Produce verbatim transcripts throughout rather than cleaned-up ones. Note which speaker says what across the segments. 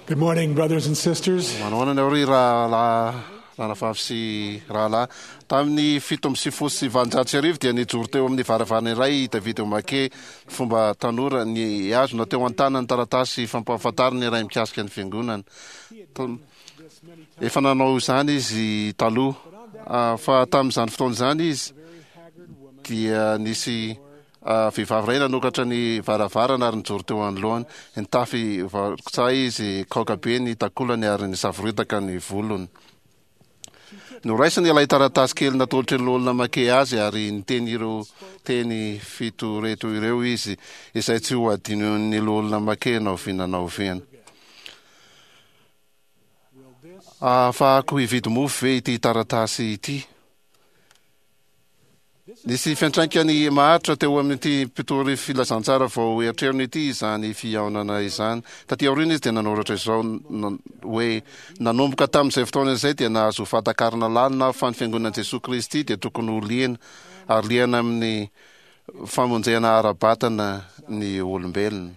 Speaker 1: Good morning, brothers and sisters.
Speaker 2: Manahoana nareo ry rahalahy, ranavavy sy rahalahy. Tamin'ny fito amby sivifolo sy valonjato sy arivo dia nijoro teo amin'ny varavarana iray i David O'Mackey, fomba tanora, nihazona teo an-tanany taratasy fampahafantarana iray mikasika ny fiangonana. Efa nanao izany izy taloha, fa tamin'izany fotoana izany izy dia nisy Vehivavy iray nanokatra ny varavarana ary nijoro teo anoloany. Nitafy varokotsa izy, kaoka be ny takolany ary nisavoritaka ny volony. Noraisiny ilay taratasy kely natolotry ny Loholona Mackay azy ary niteny ireo teny fito ireto ireo izy, izay tsy ho hadinon'ny Loholona Mackay na oviana na oviana. Ahafahako hividy mofo ve ity taratasy ity? Nisy fiantraikany maharitra teo amin'ity mpitory filazantsara vao eritreriny ity izany fihaonana izany. Taty aoriana izy dia nanoratra izao hoe, Nanomboka tamin'izay fotoana izay dia nahazo fahatakarana lalina aho fa ny Fiangonan'i Jesoa Kristy dia tokony ho liana, ary liana amin'ny famonjena ara-batana ny olombelona.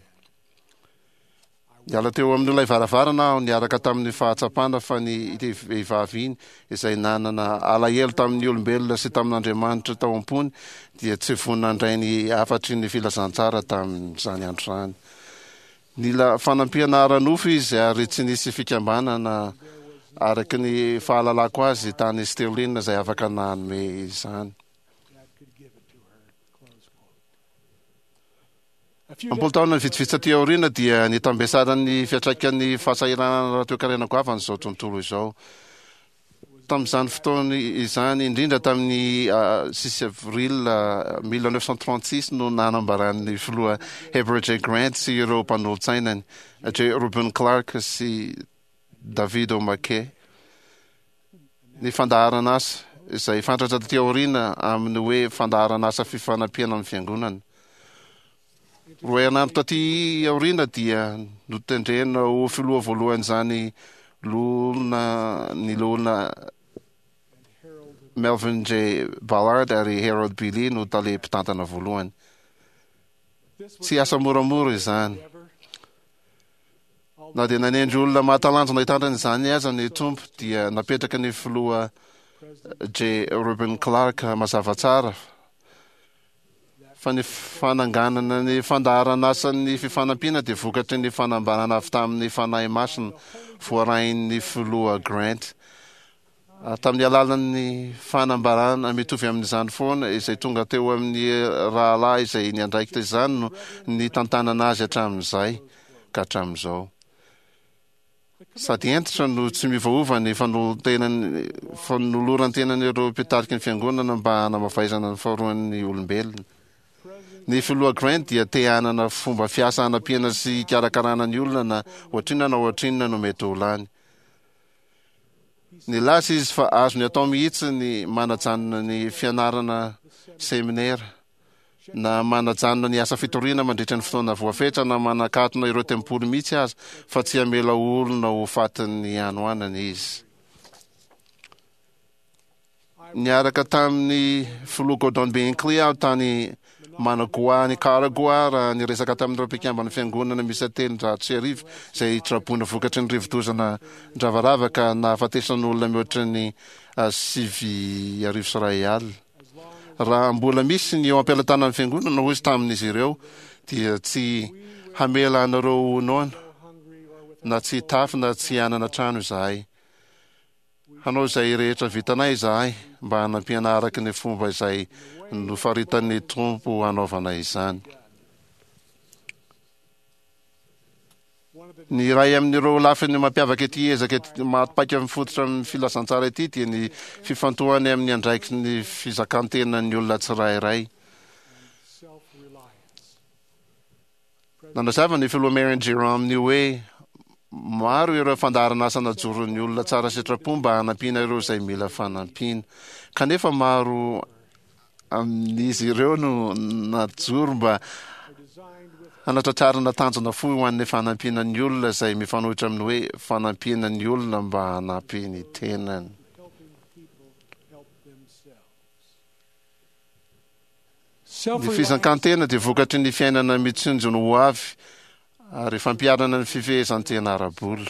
Speaker 2: Niala teo amin'ilay varavarana aho niaraka tamin'ny fahatsapana fa ny ity vehivavy iny, izay nanana alahelo tamin'ny olombelona sy tamin'Andriamanitra tao am-pony, dia tsy vonona handray ny hafatry ny filazantsara tamin'izany andro izany. Nila fanampiana ara-nofo izy ary tsy nisy fikambanana araka ny fahalalako azy tany Sterling izay afaka nanome izany. Am-polo taona vitsivitsy taty aoriana dia nitambesaran'ny fiantraikan'ny fahasahiranana ara-toekarena goavana izao tontolo izao. Tamin'izany fotoana izany, indrindra tamin'ny six avril mille neuf cent trente-six no nanambaran'ny filoha Heber J. Grant sy ireo mpanolotsainany, J. Reuben Clark sy David O. McKay, ny fandaharan'asa, izay fantatra taty aoriana amin'ny hoe Fandaharan'asa Fifanampiana amin'ny Fiangonana. Roa herinandro taty aoriana dia notendrena ho filoha voalohan'izany loholona ny loholona Melvin J. Ballard ary Harold B. Lee no tale mpitantana voalohany. Tsy asa moramora izany. Na dia nanendry olona mahatalanjona hitantana izany aza ny Tompo, dia napetraky ny Filoha J. Reuben Clark mazava tsara fa ny fananganana ny fandaharan'asan'ny fifanampiana dia vokatry ny fanambarana avy tamin'ny Fanahy Masina voarain'ny Filoha Grant. Ary tamin'ny alalan'ny fanambarana mitovy amin'izany foana izay tonga teo amin'ny rahalahy izay niandraikitra izany no nitantanana azy hatramin'izay ka hatramin'izao. Sady hentitra no tsy miovaova ny fanoloran-tenan'ireo mpitarika ny fiangonana mba hanamavaizana ny faharoan'ny olombelona. Ny Filoha Grant dia te hanana fomba fiasa hanampiana sy hikarakarana ny olona na ohatrinona na ohatrinona no mety ho lany. Nilaza izy fa azony atao mihitsy ny manajanona ny fianarana seminera, na manajanona ny asa fitoriana mandritra ny fotoana voafetra, na manakatona ireo tempoly mihitsy aza, fa tsy hamela olona ho fatin'ny hanoanana izy. Niaraka tamin'ny Filoha Gordon B. Hinckley aho tany Managua, Nicaragua, raha niresaka tamin'ireo mpikamban'ny Fiangonana miisa telonjato sy arivo izay traboina vokatry ny rivodoza nandravarava ka nahafatesan'olona mihoatra ny sivy arivo sy iray alina. Raha mbola misy ny eo am-pelatanan'ny Fiangonana, hoy izy tamin'izy ireo, dia tsy hamela anareo ho noana, na tsy hitafy na tsy hanana trano izahay. Hanao izay rehetra vitanay izahay mba hanampiana araka ny fomba izay nofaritan'ny Tompo hanaovana izany. Ny iray amin'ireo lafiny mampiavaka ity ezaka maty paika mifototra amin'ny filazantsara ity dia ny fifantohany amin'ny andraikitry ny fizakan-tenan'ny olona tsirairay. Nanazava ny Filoha Marion Jerome ny hoe maro ireo fandaharan'asa najoron'ny olona tsara sitrapo mba hanampiana ireo izay mila fanampiana. Kanefa maro amin'izy ireo no najoro mba hanatratrarana tanjona fohy ho an'ny fanampiana ny olona izay mifanohitra amin'ny hoe fanampiana ny olona mba hanampy ny tenany. Ny fizakan-tena dia vokatry ny fiainana mitsinjo ny ho avy Ary fampiharana ny fifehezan-tena ara-bola.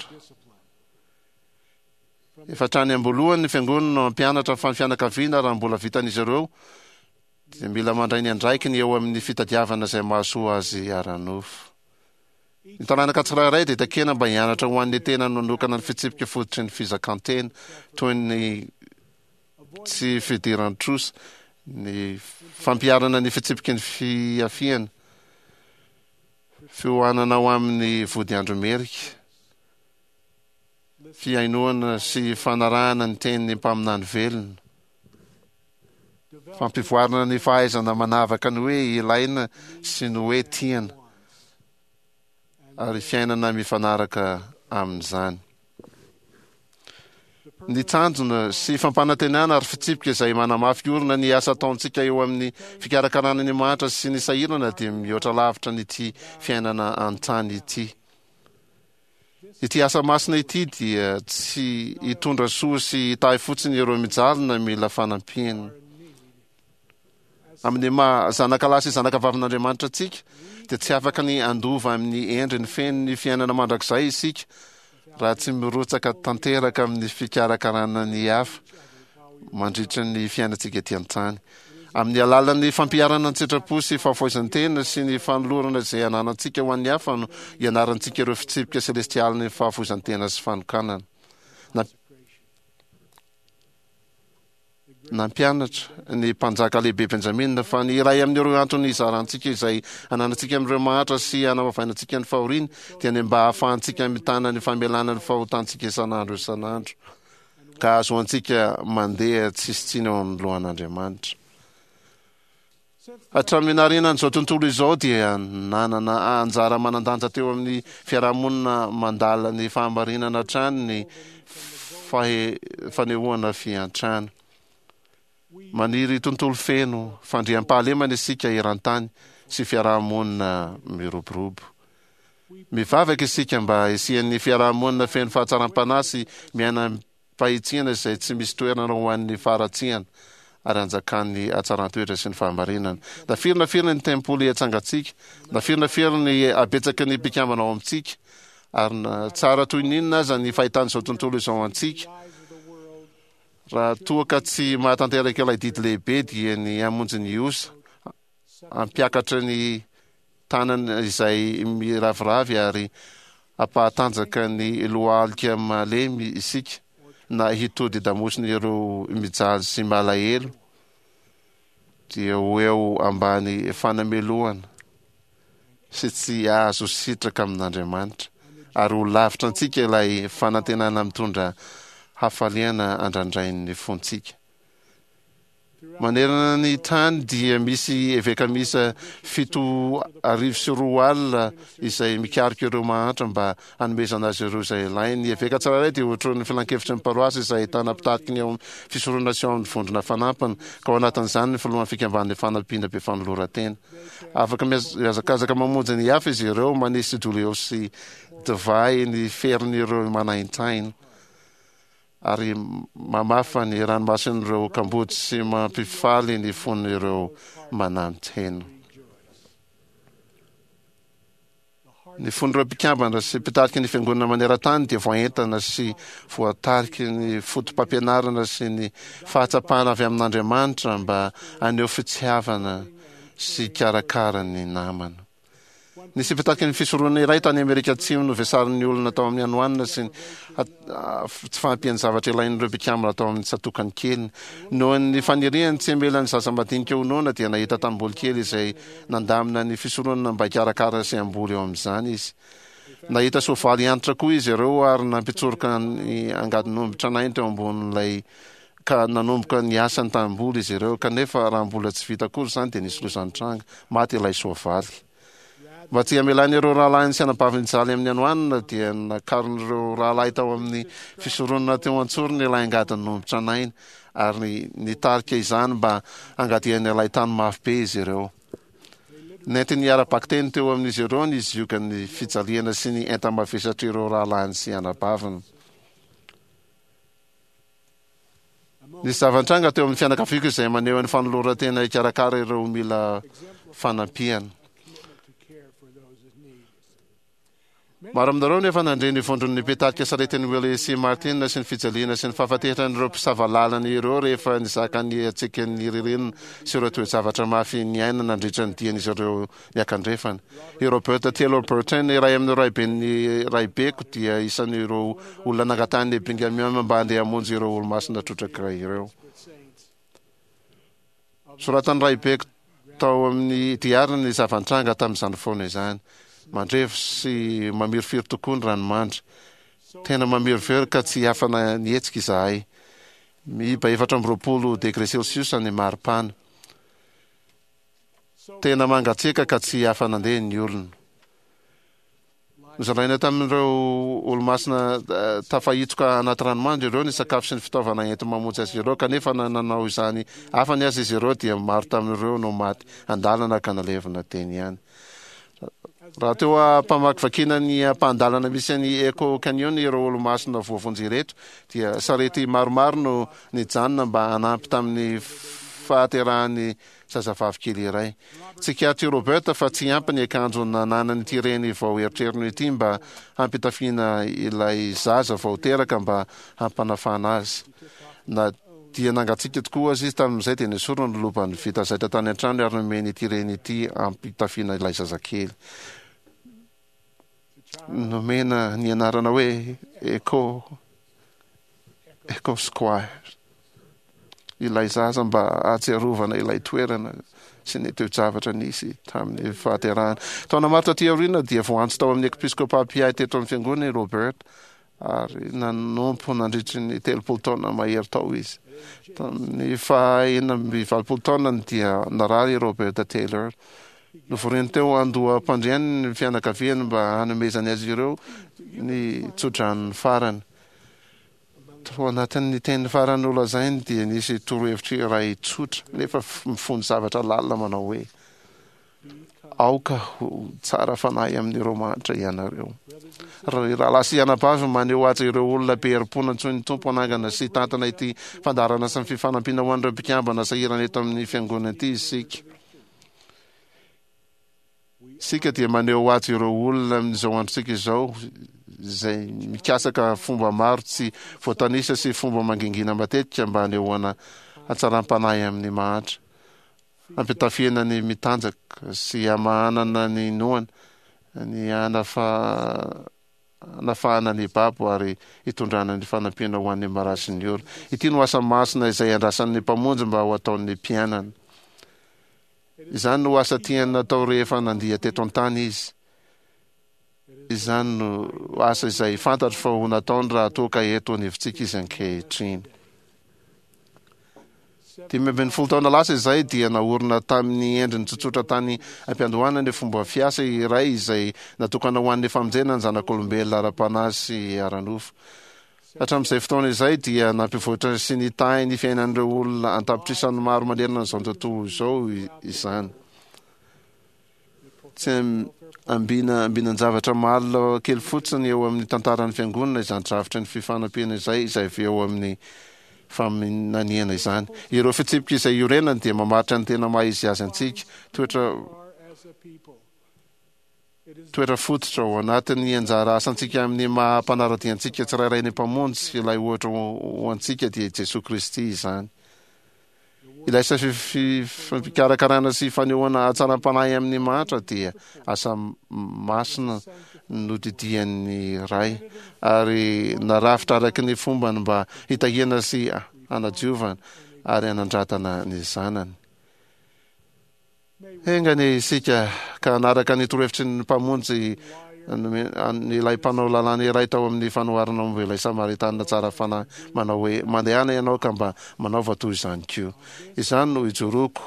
Speaker 2: Efa hatrany am-boalohany ny fiangonana no hampianatra fa ny fianakaviana, raha mbola vitan'izy ireo, dia mila mandray ny andraikiny eo amin'ny fitadiavana izay mahasoa azy ara-nofo. Ny taranaka tsirairay dia takiana mba hianatra ho an'ny tenany manokana ny fitsipika fototry ny fizakan-tena, toy ny tsy fidiran-trosa, ny fampiharana ny fitsipiky ny fiafiana, fiohanana ho amin'ny vodiandro merika, fihainoana sy fanarahana ny tenin'ny mpaminany velona, fampivoarana ny fahaizana manavaka ny hoe ilaina sy ny hoe tiana, ary fiainana mifanaraka amin'izany. Ny tanjona sy fampanantenana ary fitsipika izay manamafy orina ny asa ataontsika eo amin'ny fikarakarana ny mahantra sy ny sahirana dia mihoatra lavitra an'ity fiainana an-tany ity. Ity asa masina ity dia tsy hitondra soa sy hitahy fotsiny ireo mijaly na mila fanampiana. Amin'ny maha zanaka lahy sy zanaka vavin'Andriamanitra antsika, dia tsy afaka ny handova amin'ny endriny feno ny fiainana mandrakizay isika raha tsy mirotsaka tanteraka amin'ny fikarakarana ny hafa mandritra ny fiainantsika ety an-tany. Amin'ny alalan'ny fampiharana an-tsitrapo sy fahafoizan-tena sy ny fanolorana izay ananantsika ho an'ny hafa no ianarantsika ireo fitsipika selestialin'ny fahafoizan-tena sy fanokanana. Nampianatra ny mpanjaka lehibe Benjamina fa ny iray amin'ireo antony hizarantsika izay ananantsika amin'ireo mahantra sy hanamavainantsika ny fahoriany dia ny mba hahafahantsika mitana ny famelana ny fahotantsika isan'andro isan'andro ka hahazoantsika mandeha tsisy tsiny eo anoloan'Andriamanitra. Hatramin'ny naharianan'izao tontolo izao dia nanana anjara manan-danja teo amin'ny fiarahamonina mandala ny fahamarinana hatrany ny fanehoana fiantrana. Maniry tontolo feno fandriampahalemana isika eran-tany sy fiarahamonina miroborobo. Mivavaka isika mba hisian'ny fiarahamonina feno fahatsaram-panahy sy miaina fahitsiana izay tsy misy toerana ho an'ny faharatsiana ary hanjakan'ny hatsaran-toetra sy ny fahamarinana. Na firy na firy ny tempoly atsangantsika, na firy na firy ny habetsaky ny mpikambana ao amintsika, ary na tsara toy ny inona aza ny fahitan'izao tontolo izao antsika, raha toa ka tsy mahatanteraka ilay didy lehibe dia ny hamonjy ny osa, hampiakatra ny tanana izay miraviravy ary hampahatanjaka ny lohalika malemy isika na hitodi-damosina ireo mijaly sy malahelo dia ho eo ambany fanamelohana sy tsy hahazo sitraka amin'Andriamanitra ary ho lavitra antsika ilay fanantenana mitondra hafaliana andrandrain'ny fontsika. Manerana ny tany dia misy eveka miisa fito arivo sy roa alina izay mikaroka ireo mahantra mba hanomezana azy ireo izay ilainy. Ny eveka tsirairay dia otronin'ny filankevitry ny paroasy izay ahitana mpitariky ny ao amin'ny fisoronana sy ao amin'ny vondrona fanampiny, ka ao anatin'izany ny filohan'ny fikambanan'ny fanampiana be fanoloran-tena. Afaka mihazakazaka mamonjy ny hafa izy ireo, manisy doliao sy divay ny ferin'ireo manaintaina. Ary mamafa ny ranomason'ireo kamboty sy mampifaly ny fon'ireo manantena. Ny fon'ireo mpikambana sy mpitarika ny Fiangonana maneran-tany dia voaentana sy voatariky ny fotopampianarana sy ny fahatsapana avy amin'Andriamanitra mba haneho fitiavana sy hikarakara ny namana. Nisy mpitaky ny fisoronana iray tany Amerika Atsimo novesarin'ny olona tao amin'ny hanoanana sy ny tsy fahampian'ny zavatra ilain'ireo mpikambana tao amin'ny tsatòkany keliny. Noho ny faniriany tsy hamela ny zaza madinika ho noana dia nahita tanimboly kely izay nandamina ny fisoronana mba hikarakara sy hamboly eo amin'izany izy. Nahita soavaly antitra koa izy ireo ary nampitsoroka ny angadin'omby tranainy teo ambonin'ilay ka nanomboka niasa ny tanimboly izy ireo, kanefa raha mbola tsy vita akory izany dia nisy loza nitranga, maty ilay soavaly. Mba tsy hamelany ireo rahalahiny sy anabaviny hijaly amin'ny hanoanana dia nakarin'ireo rahalahy tao amin'ny fisoronana teo an-tsorony ilay angadin'omby tranainy ary nitarika izany mba hangadiany ilay tany mafy be izy ireo. Nentiny ara-bakiteny teo amin'izy ireo ny ziogan'ny fijaliana sy ny enta-mavesatr'ireo rahalahiny sy anabaviny. Nisy zava-nitranga teo amin'ny fianakaviako izay maneho ny fanoloran-tena hikarakara ireo mila fanampiana. Maro aminareo nefa nandre ny vondron'ny mpitarika saretin'i Willie sy Martin sy ny fijaliana sy ny fahafateran'ireo mpisava lalana ireo rehefa nizaka ny hatsiakan'ny ririnina sy ireo toe-javatra mafy niaina nandritra ny dian'izy ireo niakandrefana. I Robert Taylor Burton, iray amin'ireo raiben'ny raibeko, dia isan'ireo olona nangatahan'ny Brigham Young mba handeha hamonjy ireo olomasina trotraka ireo. Soratan'ny raibeko tao amin'ny diariny ny zava-nitranga tamin'izany fotoana izany. Mandrevo sy mamirifiry tokoa ny ranomandry. Tena mamirifiry ka tsy afana nihetsika izahay. Miiba efatra amby roapolo degré Celsius ny maripana. Tena mangatsiaka ka tsy afa-nandeha ny olona. Nozaraina tamin'ireo olomasina tafahitsoka anaty ranomandry ireo ny sakafo sy ny fitaovana enti-mamonjy azy ireo, kanefa na nanao izany afany aza izy ireo dia maro tamin'ireo no maty an-dalana ka nalevina teny ihany. Raha teo am-pamakivakiana ny ampahan-dalana misy an'i Echo Canyon ireo olomasina voavonjy ireto, dia sarety maromaro no nijanona mba hanampy tamin'ny fahaterahan'ny zazavavy kely iray. Tsikaritr'i Robert fa tsy ampy ny akanjo nananan'ity reny vao eritreriny ity mba hampitafiana ilay zaza vao teraka mba hampanafana azy. Na dia nangatsiaka tokoa aza izy tamin'izay dia nesoriny ny lobany vita zaitra tany an-trano ary nomeny ity reny ity hampitafiana ilay zazakely. Nomena ny anarana hoe Echo Echo Square ilay zaza mba hahatsiarovana ilay toerana sy ny toe-javatra nisy tamin'ny fahaterahana. Taona maro taty aoriana dia voantso tao amin'ny episkopa mpiahy teto amin'ny fiangonana i Robert ary nanompo nandritry ny telopolo taona mahery tao izy. Tamin'ny faha enina amby valopolo taonany dia narary i Robert Taylor. Novoriny teo andoham-pandriany ny fianakaviany mba hanomezany azy ireo ny tsodranony farany. Tao anatin'ny teny farany nolazainy dia nisy torohevitra iray tsotra nefa mifono zavatra lalina manao hoe, Aoka ho tsara fanahy amin'ireo mahantra ianareo. Ry rahalahy sy anabavy, maneho haja ireo olona be herim-po nantsoin'ny Tompo hanangana sy hitantana ity fandaharana sy ny fifanampiana ho an'ireo mpikambana sahirana eto amin'ny fiangonana ity isika. Isika dia maneho haja ireo olona amin'izao androntsika izao izay mikasaka fomba maro tsy voatanisa sy fomba mangingina matetika mba hanehoana hatsaram-panahy amin'ny mahantra. Hampitafiana ny mitanjaka sy hamahanana ny noana, ny hanafahana ny babo ary hitondrana ny fanampiana ho an'ny marary sy ny ory. Ity no asa masina izay andrasan'ny Mpamonjy mba ho ataon'ny mpianany. Izany no asa tiany natao rehefa nandia teto an-tany Izy. Izany no asa izay fantatro fa ho nataony raha toa ka eto anivontsika Izy ankehitriny. Dimy ambin'ny folo taona lasa izay dia naorina tamin'ny endriny tsotsotra tany am-piandohana ny fomba fiasa iray izay natokana ho an'ny famonjena ny zanak'olombelona ara-panahy sy ara-nofo. Hatramin'izay fotoana izay dia nampivoatra sy nitahy ny fiainan'ireo olona an-tapitrisany maro manerana an'izao tontolo izao izany. Tsy ambina ambinan-javatra malina kely fotsiny eo amin'ny tantaran'ny Fiangonana izany drafitry ny fifanampiana izay, izay avy eo amin'ny faminaniana izany. Ireo fitsipika izay iorenany dia mamaritra ny tena maha izy azy antsika, toetra toetra fototra ao anatin'ny anjara asantsika amin'ny maha mpanara-dia antsika tsirairay ny Mpamonjy sy ilay ohatra ho antsika dia i Jesoa Kristy izany. Ilay asa fikarakarana sy fanehoana hatsaram-panahy amin'ny mahantra dia asa masina nodidian'ny Ray ary narafitra araka ny fombany mba hitahiana sy hanadiovana ary hanandratana ny zanany. Enga anie isika ka hanaraka ny torohevitry ny Mpamonjy ilay mpanao lalàna iray tao amin'ny fanoharana momba ilay Samaritanina tsara fanahy manao hoe, Mandehana ianao ka mba manaova toy izany koa. Izany no ijoroako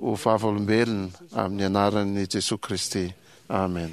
Speaker 2: ho vavolombelona amin'ny anaran'i Jesoa Kristy. Amen.